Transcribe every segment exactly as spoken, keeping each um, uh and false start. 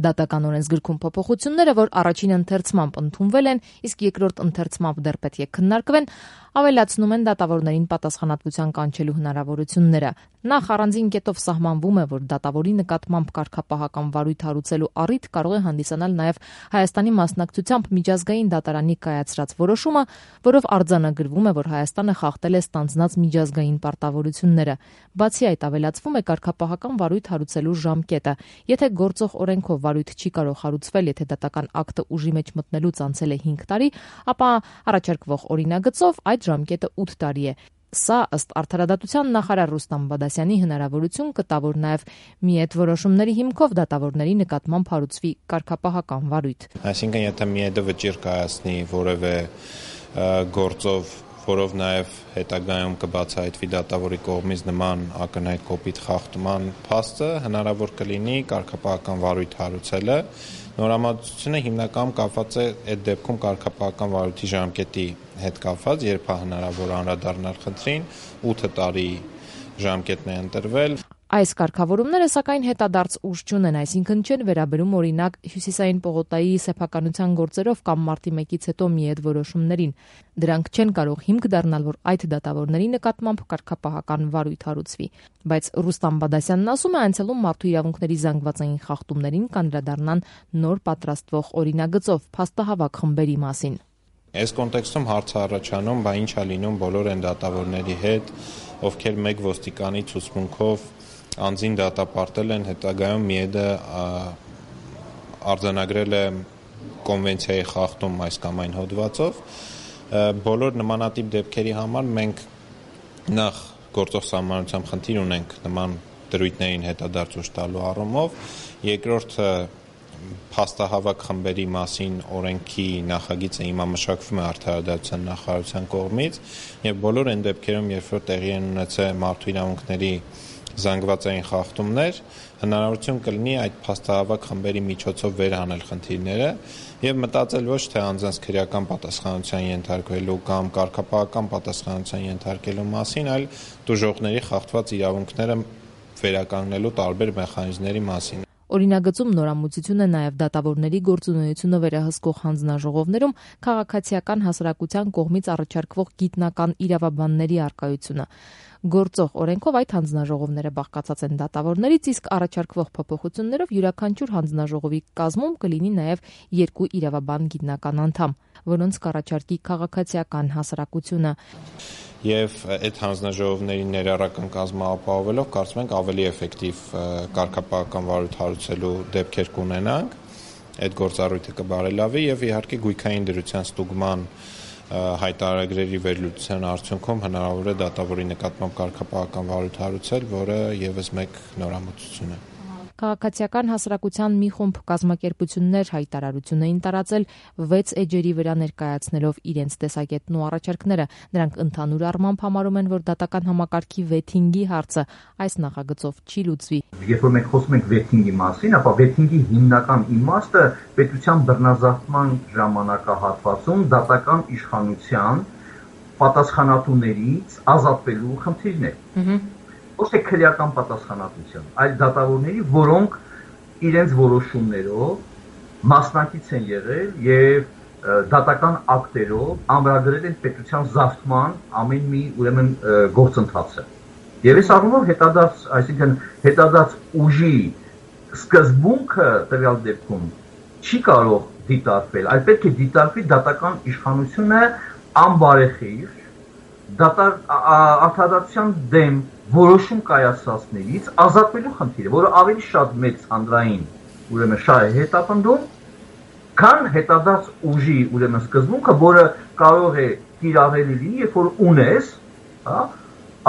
Դատական օրենսգրքում փոփոխությունները, որ առաջին ընթերցմամբ ընդունվել են, իսկ երկրորդ ընթերցմամբ դեռ պետք է քննարկվեն, ավելացնում են դատավորներին պատասխանատվության կանչելու հնարավորությունները։ Նախ առանձին կետով սահմանվում է, որ դատավորի նկատմամբ կարգապահական վարույթ հարուցելու առիթ կարող է հանդիսանալ նաև Հայաստանի մասնակցությամբ միջազգային դատարանի կայացրած որոշումը, որով արձանագրվում է, որ Հայաստանը խախտել է ստանձնած միջազգային պարտավորությունները։ Բացի այդ, ավելացվում է կարգապահական վարույթ հարուցելու ժամկետը։ Եթե գործող օրենքով վարույթ չի կարող հարուցվել, եթե դատական ակտը ուժի մեջ մտնելուց անցել է հինգ տարի, ապա առաջարկվող օրինագծով այդ ժամկետը ութ տարի է։ Սա ըստ Արդարադատության նախարար Ռուստամ Բադասյանի հնարավորություն կտա, որ նաև մի այդ որոշումների հիմքով դատավորների նկատմամբ հարուցվի կարգապահական վարույթ։ Այսինքն, եթե մի այդը վճիռ կայացնի որևէ գործով, որով նաև հետագայում կբացահայտվի դատավորի կողմից նման ակնհայտ կոպիտ խախտման փաստը, հնարավոր կլինի կարգապահական վարույթ հարուցելը։ Նորամուծությունը հիմնականում կապված է այդ դեպքում կարգապահական վարույթի ժամկետի հետ կապված, երբ է հնարավոր անդրադառնալ խնդրին, ութ տարի ժամկետն է ընտրվել։ Այս կարգավորումները, սակայն, հետադարձ ուժ չունեն, այսինքն չեն վերաբերում օրինակ Հյուսիսային պողոտայի սեփականության գործերով կամ մարտի մեկից հետո մի այդ որոշումներին։ Դրանք չեն կարող հիմք դառնալ, որ այդ դատավորների նկատմամբ կարգապահական վարույթ հարուցվի։ Բայց Ռուստամ Բադասյանն ասում է, այցելում մարդու իրավունքների զանգվածային խախտումներին կանդրադառնան նոր պատրաստվող օրինագծով փաստահավաք խմբերի մասին։ Այս կոնտեքստում հարց առաջանում, բա ինչ է լինում բոլոր այն դատավորների հետ, ովքեր մեկ ոստիկանի ցուցմունքով անձին դատապարտել են, հետագայում միեդը արձանագրել է կոնվենցիայի խախտում այս կամ այն հոդվածով։ Բոլոր նմանատիպ դեպքերի համար մենք նախ գործող սահմանությամբ խնդիր ունենք նման դրույթներին հետադարձ ուժ տալու առումով, երկրորդը փաստահավաք խմբերի մասին օրենքի նախագիծը հիմա մշակվում է Արդարադատության նախարարության կողմից, եւ բոլոր այն դեպքերում, երբ որ տեղի են ունեցել մարդու իրավունքների զանգվածային խախտումներ, հնարավորություն կլինի այդ փաստահավաք խմբերի միջոցով վերհանել խնդիրները եւ մտածել ոչ թե անձանց քրեական պատասխանատվության ենթարկվելու կամ կարգապահական պատասխանատվության ենթարկելու մասին, այլ տուժողների խախտված իրավունքները վերականգնելու տարբեր մեխանիզմների մասին։ Օրինագծում նորամուծություն է նաև դատավորների գործունեությունը վերահսկող հանձնաժողովներում քաղաքացիական հասարակության կողմից առաջարկվող գիտնական իրավաբանների առկայությունը։ Գործող օրենքով այդ հանձնաժողովները բաղկացած են դատավորներից, իսկ առաջարկվող փոփոխություններով յուրաքանչյուր հանձնաժողովի կազմում կլինի նաև երկու իրավաբան գիտնական անդամ, որոնց կառաջարկի քաղաքացիական հասարակությունը։ Եվ այդ հանձնաժողովների ներառական կազմը ապահովելով, կարծում ենք ավելի էֆեկտիվ կարգապահական վարույթ հարուցելու դեպքեր կունենանք, այդ գործառույթը կբարելավի եւ իհարկե գույքային դրության ստուգման հայտարարագրերի վերլուծության արդյունքում հնարավոր է դատավորի նկատմամբ կարգապահական վարույթ հարուցել, որը եւս մեկ նորամուծություն է։ Քաղաքացիական հասարակության մի խումբ կազմակերպություններ հայտարարություն էին տարածել վեց էջերի վրա ներկայացնելով իրենց տեսակետն ու առաջարկները։ Նրանք ընդհանուր առմամբ համարում են, որ դատական համակարգի վեթինգի հարցը այս նախագծով չի լուծվի։ Երբ որ մենք խոսում ենք վեթինգի մասին, ապա վեթինգի հիմնական իմաստը պետության բռնազավթման ժամանակահատվածում դատական իշխանության պատասխանատուներից ազատվելու խնդիրն է։ Ոչ թե քրեական պատասխանատվության, այլ դատավորների, որոնք իրենց որոշումներով մասնակից են եղել եւ դատական ակտերով ամրագրել են պետության զավթման ամեն մի ուրեմն գործընթացը։ Եվ այս առումով հետադարձ, այսինքն հետադարձ ուժի սկզբունքը տվյալ դեպքում չի կարող դիտարկվել, այլ պետք է դիտարկվի դատական իշխանությունը անբարեխիղճ արդարադատության դեմ որոշում կայացածներից ազատվելու խնդիրը, որը ավելի շատ մեծ հանրային ուրեմն շահ է հետապնդում, քան հետադարձ ուժի ուրեմն սկզբունքը, որը կարող է կիրառելի լինի, երբ որ ունես, հա,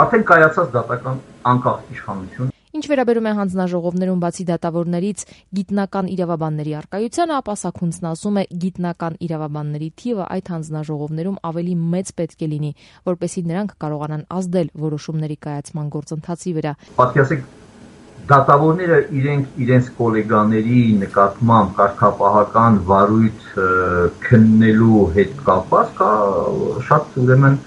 արդեն կայացած դատական անկախ իշխանություն։ Ինչ վերաբերում է հանձնաժողովներում բացի դատավորներից գիտնական իրավաբանների առկայությանը, ապա Սաքունցն ասում է, գիտնական իրավաբանների թիվը այդ հանձնաժողովներում ավելի մեծ պետք է լինի, որպեսզի նրանք կարողանան ազդել որոշումների կայացման գործընթացի վրա։ Պատկերացեք, դատավորները իրենք իրենց գոլեգաների նկատմամբ կարգապահական վարույթ քննելու հետ կապված կա շատ ուրեմն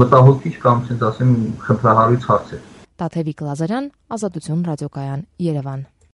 մտահոգիչ կամ ասեմ խնդրահարույց հարցեր։ Տաթևիկ Լազարյան, Ազատություն ռադիոկայան, Երևան։